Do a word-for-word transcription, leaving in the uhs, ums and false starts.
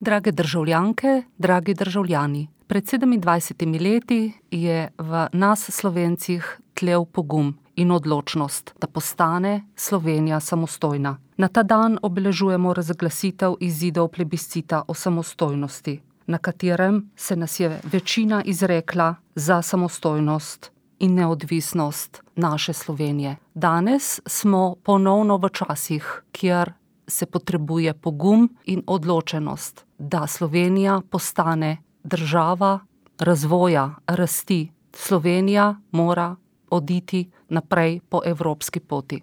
Drage državljanke, dragi državljani. Pred sedemindvajsetimi leti je v nas Slovencih tlel pogum in odločnost, da postane Slovenija samostojna. Na ta dan obeležujemo razglasitev izidov plebiscita o samostojnosti, na katerem se nas je večina izrekla za samostojnost in neodvisnost naše Slovenije. Danes smo ponovno v časih, kjer se potrebuje pogum in odločenost, da Slovenija postane država razvoja, rasti. Slovenija mora oditi naprej po evropski poti.